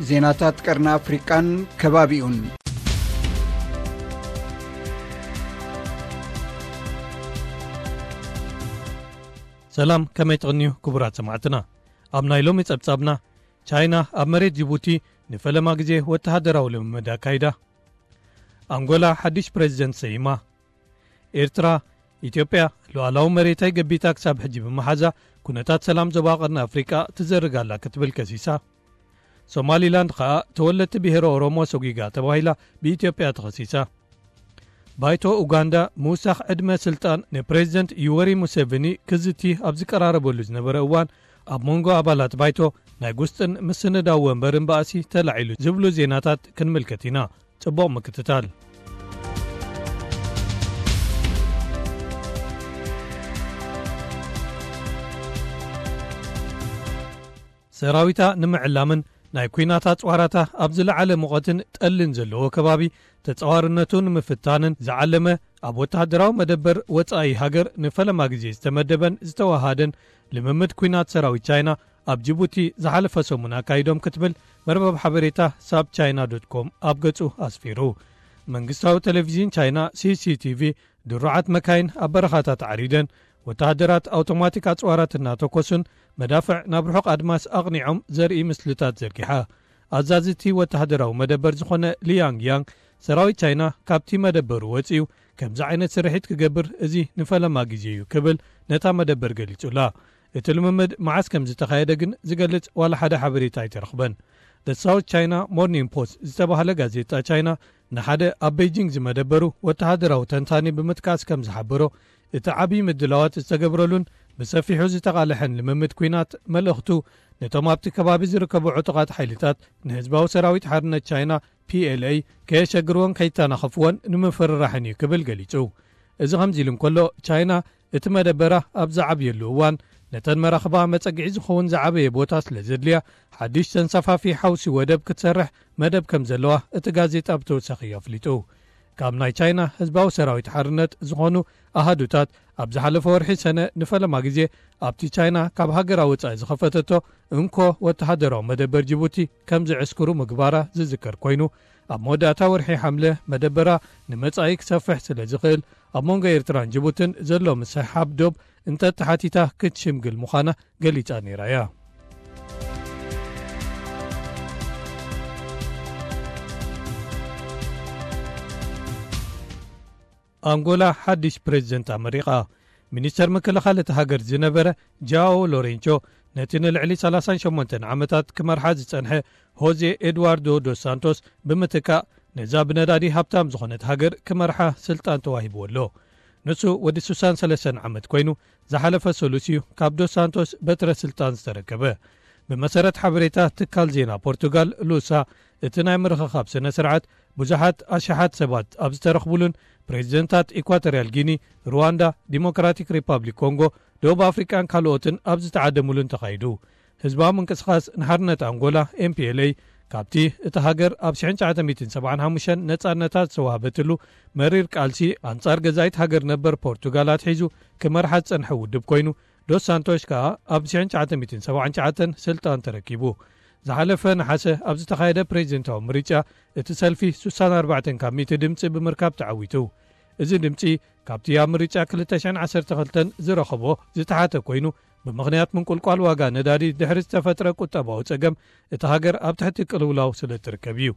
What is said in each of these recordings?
ዜናታት ቀርኒ ኣፍሪቃን ከባቢኡን። ሰላም፣ ከመይ ትቕንዩ ክቡራት ሰማዕትና? ኣብ ናይ ሎሚ ጸብጻብና፣ ቻይና ኣብ መሬት ጅቡቲ ንፈለማ ግዜ ወተሃደራዊ ልምምድ ኣካይዳ። ኣንጎላ ሓድሽ ፕሬዚደንት ሰይማ። ኤርትራ፣ ኢትዮጵያ ሉዓላዊ መሬተይ ገቢታ ክሳብ ሕጂ ብምሓዛ፣ ኩነታት ሰላም ዞባ ቀርኒ ኣፍሪቃ ትዘርግ ኣላ ክትብል ከሲሳ። ሶማሊላንድ ኸኣ ተወለድቲ ብሄረ ኦሮሞ ሰጒጋ ተባሂላ ብኢትዮጵያ ተኸሲሳ። ባይቶ ኡጋንዳ ምውሳኽ ዕድመ ስልጣን ንፕሬዚደንት ዩወሪ ሙሴቪኒ ክዝቲ ኣብ ዝቀራረበሉ ዝነበረ እዋን፣ ኣብ መንጎ ኣባላት ባይቶ ናይ ጉስጥን ምስንዳው ወንበርን ባእሲ ተላዒሉ ዝብሉ ዜናታት ክንምልከት ኢና። ጽቡቕ ምክትታል። ሰራዊታ ንምዕላምን ናይ ኲናት ኣጽዋራታ ኣብ ዝለዓለ ሙቐትን ጠልን ዘለዎ ከባቢ ተጻዋርነቱ ንምፍታንን ዝዓለመ፣ ኣብ ወተሃደራዊ መደበር ወጻኢ ሃገር ንፈለማ ግዜ ዝተመደበን ዝተወሃደን ልምምድ ኲናት ሰራዊት ቻይና ኣብ ጅቡቲ ዝሓለፈ ሰሙን ኣካይዶም ክትብል መርበብ ሓበሬታ ሳብ ቻይና ዶት ኮም ኣብ ገጹ ኣስፊሩ። መንግስታዊ ቴሌቪዥን ቻይና ሲሲቲቪ ድሩዓት መካይን ኣብ በረኻታት ዓሪደን፣ ወተሃደራት ኣውቶማቲክ ኣጽዋራት እናተኮሱን መዳፍዕ ናብ ርሑቕ ኣድማስ ኣቕኒዖም ዘርኢ ምስልታት ዘርጊሓ። ኣዛዚ እቲ ወተሃደራዊ መደበር ዝኾነ ሊያንግ ያንግ፣ ሰራዊት ቻይና ካብቲ መደበሩ ወጺኡ ከምዚ ዓይነት ስርሒት ክገብር እዚ ንፈለማ ግዜ እዩ ክብል ነታ መደበር ገሊጹላ። እቲ ልምምድ መዓስ ከም ዝተኻየደ ግን ዝገልጽ ዋላ ሓደ ሓበሬታ ኣይተረኽበን። The South China Morning Post ዝተባህለ ጋዜጣ ቻይና ንሓደ ኣብ ቤጂንግ ዝመደበሩ ወተሃደራዊ ተንታኒ ብምጥቃስ ከም ዝሓበሮ፣ እቲ ዓብዪ ምድላዋት ዝተገብረሉን ብሰፊሑ ዝተቓልሐን ልምምድ ኲናት መልእኽቱ ነቶም ኣብቲ ከባቢ ዝርከቡ ዕጡቓት ሓይልታት ንህዝባዊ ሰራዊት ሓርነት ቻይና ፒኤልኤ ከየሸግርዎን ከይተናኸፍዎን ንምፍርራሕን እዩ ክብል ገሊጹ። እዚ ከምዚ ኢሉ እንከሎ፣ ቻይና እቲ መደበራ ኣብ ዝዓብየሉ እዋን፣ ነተን መራኽባ መጸግዒ ዝኸውን ዝዓበየ ቦታ ስለ ዘድልያ፣ ሓድሽ ተንሳፋፊ ሓውሲ ወደብ ክትሰርሕ መደብ ከም ዘለዋ እቲ ጋዜጣ ብተወሳኺ ኣፍሊጡ። ካብ ናይ ቻይና ህዝባዊ ሰራዊት ሓርነት ዝኾኑ ኣሃዱታት፣ ኣብ ዝሓለፈ ወርሒ ሰነ ንፈለማ ግዜ ኣብቲ ቻይና ካብ ሃገራ ወጻኢ ዝኸፈተቶ እንኮ ወተሃደራዊ መደበር ጅቡቲ ከም ዝዕስክሩ ምግባራ ዝዝከር ኮይኑ፣ ኣብ መወዳእታ ወርሒ ሓምለ መደበራ ንመጻኢ ክሰፍሕ ስለ ዝኽእል፣ ኣብ መንጎ ኤርትራን ጅቡትን ዘሎ ምስሕሓብ ዶብ እንተተሓቲታ ክትሽምግል ምዃና ገሊጻ ነይራ እያ። ኣንጎላ ሓድሽ ፕሬዚደንት ኣመሪቓ። ሚኒስተር ምክልኻል እታ ሃገር ዝነበረ ጃኦ ሎሬንቾ፣ ነቲ ንልዕሊ ሰላሳን ሸሞንተን ዓመታት ክመርሓ ዝጸንሐ ሆዜ ኤድዋርዶ ዶስ ሳንቶስ ብምትካእ፣ ነዛ ብነዳዲ ሃብታም ዝኾነት ሃገር ክመርሓ ስልጣን ተዋሂብዎ ኣሎ። ንሱ ወዲ ስሳን ሰለስተን ዓመት ኮይኑ፣ ዝሓለፈ ሰሉስ እዩ ካብ ዶስ ሳንቶስ በትረ ስልጣን ዝተረከበ። ብመሰረት ሓበሬታ ትካል ዜና ፖርቱጋል ሉሳ፣ እቲ ናይ ምርኽኻብ ስነ ስርዓት ብዙሓት ኣሽሓት ሰባት ኣብ ዝተረኽቡሉን፣ ፕሬዚደንታት ኢኳቶርያል ጊኒ፣ ሩዋንዳ፣ ዲሞክራቲክ ሪፓብሊክ ኮንጎ፣ ደቡብ ኣፍሪቃን ካልኦትን ኣብ ዝተዓደሙሉን ተኻይዱ። ህዝባዊ ምንቅስቓስ ንሓርነት ኣንጎላ፣ ኤምፒኤልኤ፣ ካብቲ እታ ሃገር ኣብ ሽሕን ትሽዓተ ሚእትን ሰብዓን ሓሙሽተን ነጻነታ ዝተዋህበትሉ መሪር ቃልሲ ኣንጻር ገዛኢት ሃገር ነበር ፖርቱጋል ኣትሒዙ ክመርሓ ዝጸንሐ ውድብ ኮይኑ፣ ዶስ ሳንቶሽ ከኣ ኣብ ሽሕን ትሽዓተ ሚእትን ሰብዓን ትሽዓተን ስልጣን ተረኪቡ። ዝሓለፈ ነሓሰ ኣብ ዝተኻየደ ፕሬዚደንታዊ ምርጫ፣ እቲ ሰልፊ ስሳን ኣርባዕተን ካብ ሚእቲ ድምጺ ብምርካብ ተዓዊቱ። እዚ ድምጺ ካብቲ ኣብ ምርጫ ክልተ ሽሕን ዓሰርተ ክልተን ዝረኸቦ ዝተሓተ ኮይኑ፣ ብምኽንያት ምንቁልቋል ዋጋ ነዳዲ ድሕሪ ዝተፈጥረ ቁጠባዊ ጸገም፣ እታ ሃገር ኣብ ትሕቲ ቅልውላው ስለ እትርከብ እዩ።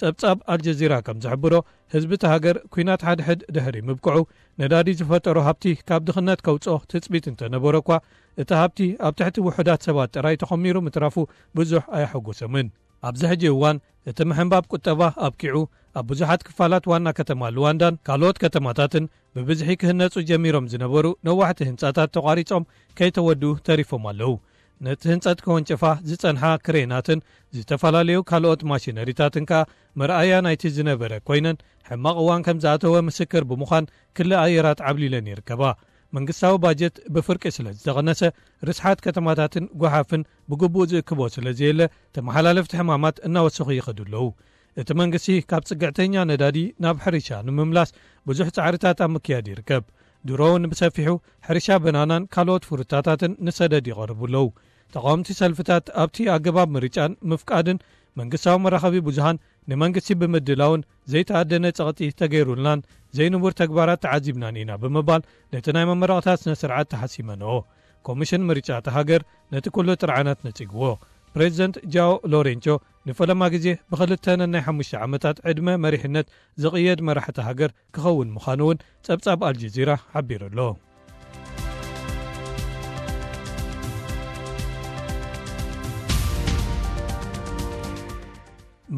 ጸብጻብ ኣልጀዚራ ከም ዝሕብሮ፣ ህዝቢ እታ ሃገር ኲናት ሓድሕድ ድሕሪ ምብቅዑ፣ ነዳዲ ዝፈጠሮ ሃብቲ ካብ ድኽነት ከውጽኦ ትጽቢት እንተነበሮ እኳ፣ እቲ ሃብቲ ኣብ ትሕቲ ውሑዳት ሰባት ጥራይ ተኾሚሩ ምትራፉ ብዙሕ ኣየሐጎሰምን። ኣብዚ ሕጂ እዋን፣ እቲ ምሕንባብ ቁጠባ ኣብቂዑ፣ ኣብ ብዙሓት ክፋላት ዋና ከተማ ሉዋንዳን ካልኦት ከተማታትን ብብዝሒ ክህነጹ ጀሚሮም ዝነበሩ ነዋሕቲ ህንጻታት ተቋሪጾም ከይተወድኡ ተሪፎም ኣለዉ። ነቲ ህንጸት ከወንጭፋ ዝጸንሓ ክሬናትን ዝተፈላለዩ ካልኦት ማሽነሪታትን ከኣ መርኣያ ናይቲ ዝነበረ ኮይነን፣ ሕማቕ እዋን ከም ዝኣተወ ምስክር ብምዃን ክሊ ኣየራት ዓብሊለን ይርከባ። መንግስታዊ ባጀት ብፍርቂ ስለ ዝተቐነሰ፣ ርስሓት ከተማታትን ጓሓፍን ብግቡእ ዝእክቦ ስለ ዘየለ፣ ተመሓላለፍቲ ሕማማት እናወሰኹ ይኸዱ ኣለዉ። እቲ መንግስቲ ካብ ጽግዕተኛ ነዳዲ ናብ ሕርሻ ንምምላስ ብዙሕ ጻዕርታት ኣብ ምክያድ ይርከብ። ድሮ እውን ብሰፊሑ ሕርሻ በናናን ካልኦት ፍሩታታትን ንሰደድ ይቐርቡ ኣለዉ። ተቓወምቲ ሰልፍታት ኣብቲ ኣገባብ ምርጫን ምፍቃድን መንግስታዊ መራኸቢ ብዙሃን ንመንግስቲ ብምድላውን ዘይተኣደነ ጸቕጢ ተገይሩልናን ዘይንቡር ተግባራት ተዓዚብናን ኢና ብምባል ነቲ ናይ መመረቕታ ስነ ስርዓት ተሓሲመንኦ። ኮሚሽን ምርጫ እታ ሃገር ነቲ ኩሉ ጥርዓናት ነጺግዎ። ፕሬዚደንት ጃኦ ሎሬንቾ ንፈለማ ግዜ ብክልተ ነናይ ሓሙሽተ ዓመታት ዕድመ መሪሕነት ዝቕየድ መራሕቲ ሃገር ክኸውን ምዃኑ እውን ጸብጻብ ኣልጀዚራ ሓቢሩ ኣሎ።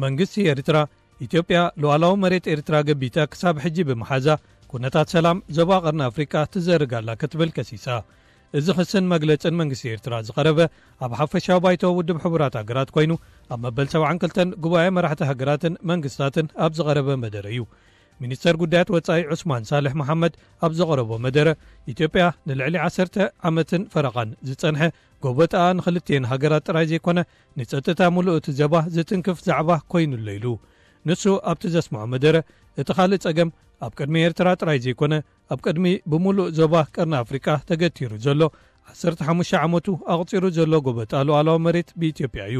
መንግስቲ ኤርትራ፣ ኢትዮጵያ ሉዓላዊ መሬት ኤርትራ ገቢታ ክሳብ ሕጂ ብምሓዛ፣ ኩነታት ሰላም ዞባ ቀርኒ ኣፍሪቃ ትዘርግ ኣላ ክትብል ከሲሳ። እዚ ክስን መግለጽን መንግስቲ ኤርትራ ዝቐረበ ኣብ ሓፈሻዊ ባይቶ ውድብ ሕቡራት ሃገራት ኮይኑ፣ ኣብ መበል ሰብዓን ክልተን ጉባኤ መራሕቲ ሃገራትን መንግስታትን ኣብ ዝቐረበ መደረ እዩ። ሚኒስተር ጉዳያት ወጻኢ ዑስማን ሳልሕ መሓመድ ኣብ ዘቕረቦ መደረ፣ ኢትዮጵያ ንልዕሊ ዓሰርተ ዓመትን ፈረቓን ዝጸንሐ ጎበጣኣ ንኽልቲኤን ሃገራት ጥራይ ዘይኮነ፣ ንጸጥታ ምሉእ እቲ ዘባ ዝትንክፍ ዛዕባ ኮይኑሎ ኢሉ። ንሱ ኣብቲ ዘስምዖ መደረ፣ እቲ ካልእ ጸገም ኣብ ቅድሚ ኤርትራ ጥራይ ዘይኮነ፣ ኣብ ቅድሚ ብምሉእ ዞባ ቀርኒ ኣፍሪቃ ተገቲሩ ዘሎ ዓሰርተ ሓሙሽተ ዓመቱ ኣቑጺሩ ዘሎ ጎበጣ ሉዓላዊ መሬት ብኢትዮጵያ እዩ።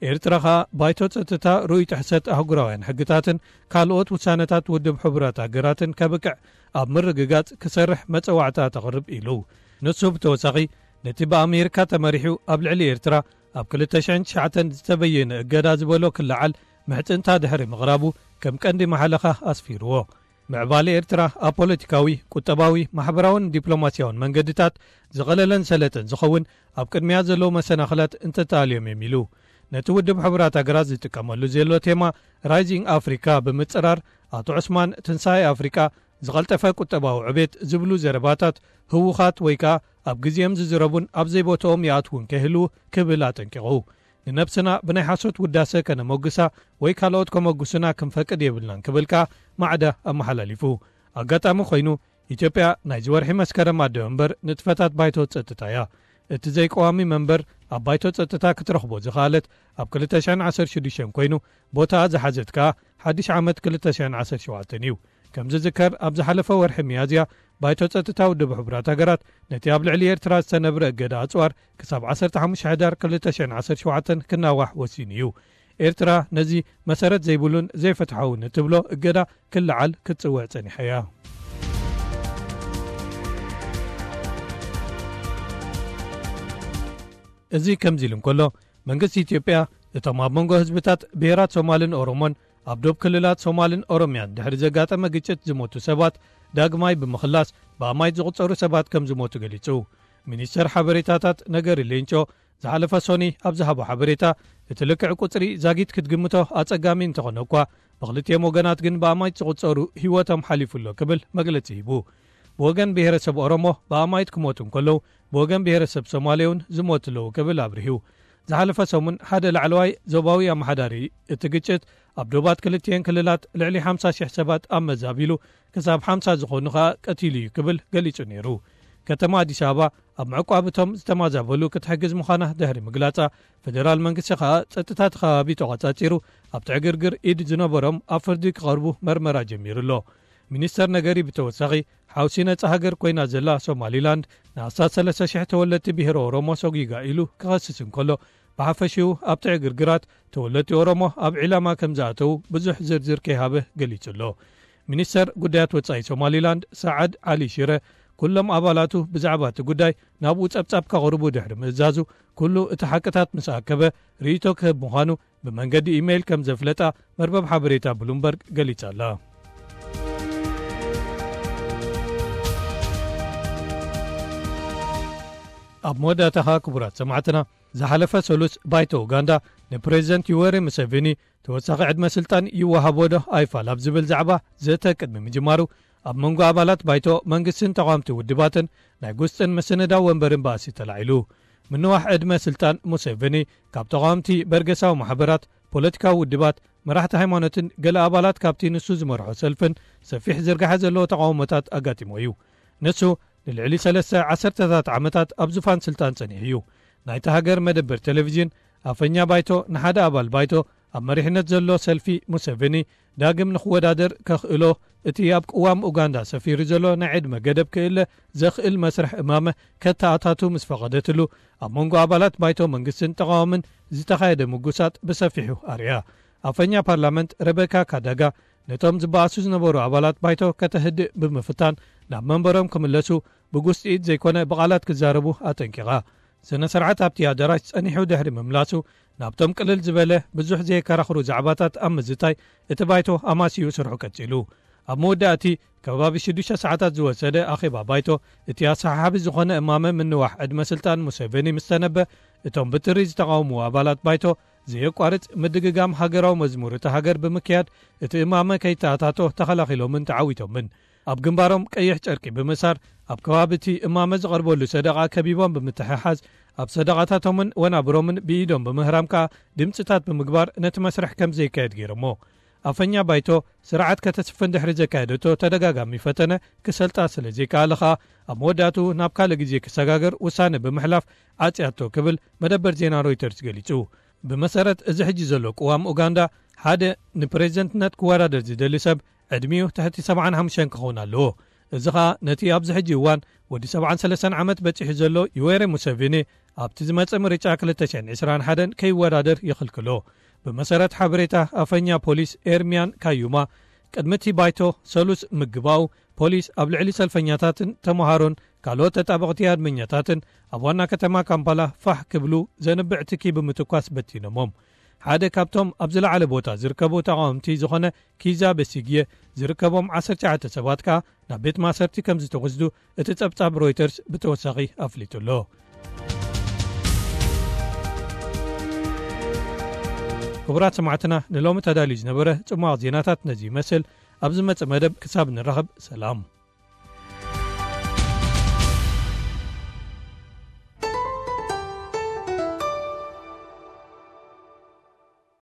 ኤርትራ ኸኣ ባይቶ ጸጥታ ርኡይ ጥሕሰት ኣህጉራውያን ሕግታትን ካልኦት ውሳነታት ውድብ ሕቡራት ሃገራትን ከብቅዕ ኣብ ምርግጋጽ ክሰርሕ መጸዋዕታ ተቕርብ ኢሉ። ንሱ ብተወሳኺ ነቲ ብኣሜሪካ ተመሪሑ ኣብ ልዕሊ ኤርትራ ኣብ ክልተ ሽሕን ትሽዓተን ዝተበየነ እገዳ ዝበሎ ክለዓል ምሕጽንታ ድሕሪ ምቕራቡ ከም ቀንዲ መሓለኻ ኣስፊርዎ። ምዕባለ ኤርትራ ኣብ ፖለቲካዊ፣ ቁጠባዊ፣ ማሕበራውን ዲፕሎማስያውን መንገድታት ዝቐለለን ሰለጠን ዝኸውን ኣብ ቅድሚያ ዘለዉ መሰናኽላት እንተተኣልዮም እዮም ኢሉ። ነቲ ውድብ ሕቡራት ሃገራት ዝጥቀመሉ ዘሎ ቴማ ራይዚንግ ኣፍሪካ ብምጽራር ኣቶ ዑስማን ትንሳኤ ኣፍሪቃ ዝቐልጠፈ ቁጠባዊ ዕቤት ዝብሉ ዘረባታት ህዉኻት ወይ ከኣ ኣብ ግዜኦም ዝዝረቡን ኣብ ዘይቦትኦም ይኣትዉን ከይህልዉ ክብል ኣጠንቂቑ። ንነብስና ብናይ ሓሶት ውዳሰ ከነመጉሳ ወይ ካልኦት ከመጉሱና ክንፈቅድ የብልናን ክብል ከኣ ማዕዳ ኣመሓላሊፉ። ኣጋጣሚ ኮይኑ ኢትዮጵያ ናይዚ ወርሒ መስከረም ኣደ እምበር ንጥፈታት ባይቶ ጸጥታ እያ። እቲ ዘይቀዋሚ መንበር ኣብ ባይቶ ጸጥታ ክትረኽቦ ዝኸኣለት ኣብ ክልተ ሽሕን ዓሰርተ ሽዱሽተን ኮይኑ ቦታኣ ዝሓዘት ከኣ ሓድሽ ዓመት ክልተ ሽሕን ዓሰርተ ሸውዓተን እዩ። ከም ዝዝከር ኣብ ዝሓለፈ ወርሒ ሚያዝያ ባይቶ ጸጥታ ውድብ ሕቡራት ሃገራት ነቲ ኣብ ልዕሊ ኤርትራ ዝተነብረ እገዳ ኣጽዋር ክሳብ ዓሰርተ ሓሙሽተ ሕዳር ክልተ ሽሕን ዓሰርተ ሸውዓተን ክናዋሕ ወሲኑ እዩ። ኤርትራ ነዚ መሰረት ዘይብሉን ዘይፍትሓውን እትብሎ እገዳ ክለዓል ክትጽውዕ ጸኒሓ እያ። እዚ ከምዚ ኢሉ እንከሎ መንግስቲ ኢትዮጵያ እቶም ኣብ መንጎ ህዝብታት ብሄራት ሶማልን ኦሮሞን ኣብ ዶብ ክልላት ሶማልን ኦሮሚያን ድሕሪ ዘጋጠመ ግጭት ዝሞቱ ሰባት ዳግማይ ብምኽላስ ብኣማይት ዝቑጸሩ ሰባት ከም ዝሞቱ ገሊጹ። ሚኒስተር ሓበሬታታት ነገሪ ሌንጮ ዝሓለፈ ሶኒ ኣብ ዝሃቦ ሓበሬታ፣ እቲ ልክዕ ቁጽሪ ዛጊት ክትግምቶ ኣጸጋሚ እንተኾነ እኳ፣ ብኽልቲኦም ወገናት ግን ብኣማይት ዝቑጸሩ ህይወቶም ሓሊፉ ኣሎ ክብል መግለጺ ሂቡ። ብወገን ብሄረሰብ ኦሮሞ ብኣማይት ክሞቱ እንከለዉ፣ ብወገን ብሄረሰብ ሶማሌ እውን ዝሞቱ ኣለዉ ክብል ኣብሪሁ። ዝሓለፈ ሰሙን ሓደ ላዕለዋይ ዞባዊ ኣመሓዳሪ እቲ ግጭት ኣብ ዶባት ክልቲኤን ክልላት ልዕሊ ሓምሳ ሽሕ ሰባት ኣብ መዛቢሉ ክሳብ ሓምሳ ዝኾኑ ኸኣ ቀቲሉ እዩ ክብል ገሊጹ ነይሩ። ከተማ ኣዲስ ኣበባ ኣብ ምዕቋብ እቶም ዝተማዛበሉ ክትሕግዝ ምዃና ድሕሪ ምግላጻ፣ ፈደራል መንግስቲ ኸኣ ጸጥታ እቲ ከባቢ ተቖጻጺሩ ኣብቲ ዕግርግር ኢድ ዝነበሮም ኣብ ፍርዲ ክቐርቡ መርመራ ጀሚሩ ኣሎ። ሚኒስተር ነገሪ ብተወሳኺ ሓውሲ ነጻ ሃገር ኮይና ዘላ ሶማሊላንድ ንኣስታት ሰለስተ ሽሕ ተወለድቲ ብሄረ ኦሮሞ ሰጒጋ ኢሉ ክኸስስ እንከሎ፣ ብሓፈሽኡ ኣብቲ ዕግርግራት ተወለድቲ ኦሮሞ ኣብ ዒላማ ከም ዝኣተዉ ብዙሕ ዝርዝር ከይሃበ ገሊጹ ኣሎ። ሚኒስተር ጉዳያት ወጻኢ ሶማሊላንድ ሰዓድ ዓሊ ሽረ ኩሎም ኣባላቱ ብዛዕባ እቲ ጉዳይ ናብኡ ጸብጻብ ከቕርቡ ድሕሪ ምእዛዙ፣ ኩሉ እቲ ሓቅታት ምስ ኣከበ ርእይቶ ክህብ ምዃኑ ብመንገዲ ኢሜይል ከም ዘፍለጣ መርበብ ሓበሬታ ብሉምበርግ ገሊጻ ኣላ። ኣብ መወዳእታኻ ክቡራት ሰማዕትና፣ ዝሓለፈ ሰሉስ ባይቶ ኡጋንዳ ንፕሬዚደንት ዩወሪ ሙሴቪኒ ተወሳኺ ዕድመ ስልጣን ይወሃቦ ዶ ኣይፋል ኣብ ዝብል ዛዕባ ዘተ ቅድሚ ምጅማሩ፣ ኣብ መንጎ ኣባላት ባይቶ መንግስትን ተቓወምቲ ውድባትን ናይ ጉስጥን ምስንዳው ወንበርን ባእሲ ተላዒሉ። ምንዋሕ ዕድመ ስልጣን ሙሴቪኒ ካብ ተቓወምቲ በርገሳዊ ማሕበራት፣ ፖለቲካዊ ውድባት፣ መራሕቲ ሃይማኖትን ገለ ኣባላት ካብቲ ንሱ ዝመርሖ ሰልፍን ሰፊሕ ዝርጋሐ ዘለዎ ተቓውሞታት ኣጋጢሞ እዩ። ንሱ ንልዕሊ ሰለስተ ዓሰርተታት ዓመታት ኣብ ዙፋን ስልጣን ጸኒሑ እዩ። ናይታ ሃገር መደበር ቴሌቪዥን ኣፈኛ ባይቶ ንሓደ ኣባል ባይቶ ኣብ መሪሕነት ዘሎ ሰልፊ ሙሴቬኒ ዳግም ንኽወዳደር ከኽእሎ፣ እቲ ኣብ ቅዋም ኡጋንዳ ሰፊሩ ዘሎ ናይ ዕድመ ገደብ ክእለ ዘኽእል መስርሕ እማመ ከተኣታቱ ምስ ፈቐደትሉ፣ ኣብ መንጎ ኣባላት ባይቶ መንግስትን ተቓዋምን ዝተኻየደ ምጉሳጥ ብሰፊሑ ኣርያ። ኣፈኛ ፓርላመንት ረበካ ካዳጋ ነቶም ዝበኣሱ ዝነበሩ ኣባላት ባይቶ ከተህድእ ብምፍታን ናብ መንበሮም ክምለሱ ብጉስጢት ዘይኮነ ብቓላት ክዛረቡ ኣጠንቂቓ። ስነ ስርዓት ኣብቲ ኣዳራሽ ጸኒሑ ድሕሪ ምምላሱ ናብቶም ቅልል ዝበለ ብዙሕ ዘየከራኽሩ ዛዕባታት ኣብ ምዝታይ እቲ ባይቶ ኣማሲዩ ስርሑ ቀጺሉ። ኣብ መወዳእቲ ከባቢ ሽዱሽተ ሰዓታት ዝወሰደ ኣኼባ ባይቶ እቲ ኣሰሓሓቢ ዝኾነ እማመ ምንዋሕ ዕድመ ስልጣን ሙሴቬኒ ምስ ተነበ፣ እቶም ብትሪ ዝተቓወሙ ኣባላት ባይቶ ዘየቋርጽ ምድግጋም ሃገራዊ መዝሙር እታ ሃገር ብምክያድ እቲ እማመ ከይተኣታቶ ተኸላኺሎምን ተዓዊቶምን። ኣብ ግንባሮም ቀይሕ ጨርቂ ብምእሳር ኣብ ከባቢ እቲ እማመ ዝቐርበሉ ሰደቓ ከቢቦም ብምትሕሓዝ ኣብ ሰደቓታቶምን ወናብሮምን ብኢዶም ብምህራም ከኣ ድምፅታት ብምግባር ነቲ መስርሕ ከም ዘይካየድ ገይሮሞ። ኣፈኛ ባይቶ ስርዓት ከተስፍን ድሕሪ ዘካየደቶ ተደጋጋሚ ፈተነ ክሰልጣ ስለ ዘይከኣለ ከኣ ኣብ መወዳእትኡ ናብ ካልእ ግዜ ክሰጋገር ውሳነ ብምሕላፍ ዓጽያቶ ክብል መደበር ዜና ሮይተርስ ገሊጹ። ብመሰረት እዚ ሕጂ ዘሎ ቅዋም ኡጋንዳ ሓደ ንፕሬዝደንትነት ክወዳደር ዝደሊ ሰብ ዕድሚኡ ትሕቲ ሰብዓን ሓሙሽተን ክኸውን ኣለዎ። እዚ ኸኣ ነቲ ኣብዚ ሕጂ እዋን ወዲ ሰብዓን ሰለስተን ዓመት በጺሑ ዘሎ ዩዌሬ ሙሴቪኒ ኣብቲ ዝመጽእ ምርጫ ክልተ ሽሕን ዕስራን ሓደን ከይወዳደር ይኽልክሎ። ብመሰረት ሓበሬታ ኣፈኛ ፖሊስ ኤርሚያን ካዩማ፣ ቅድሚ እቲ ባይቶ ሰሉስ ምግባኡ ፖሊስ ኣብ ልዕሊ ሰልፈኛታትን ተመሃሮን ካልኦት ተጣበቕቲ ኣድመኛታትን ኣብ ዋና ከተማ ካምፓላ ፋሕ ክብሉ ዘንብዕ ትኪ ብምትኳስ በቲኖሞም። ሓደ ካብቶም ኣብ ዝለዓለ ቦታ ዝርከቡ ተቓወምቲ ዝኾነ ኪዛ በሲግየ ዝርከቦም ዓሰርተ ትሽዓተ ሰባት ከኣ ናብ ቤት ማእሰርቲ ከም ዝተወስዱ እቲ ጸብጻብ ሮይተርስ ብተወሳኺ ኣፍሊጡ ኣሎ። ክቡራት ሰማዕትና፣ ንሎሚ ተዳልዩ ዝነበረ ጽማቕ ዜናታት ነዚ ይመስል። ኣብ ዝመጽእ መደብ ክሳብ ንራኸብ፣ ሰላም።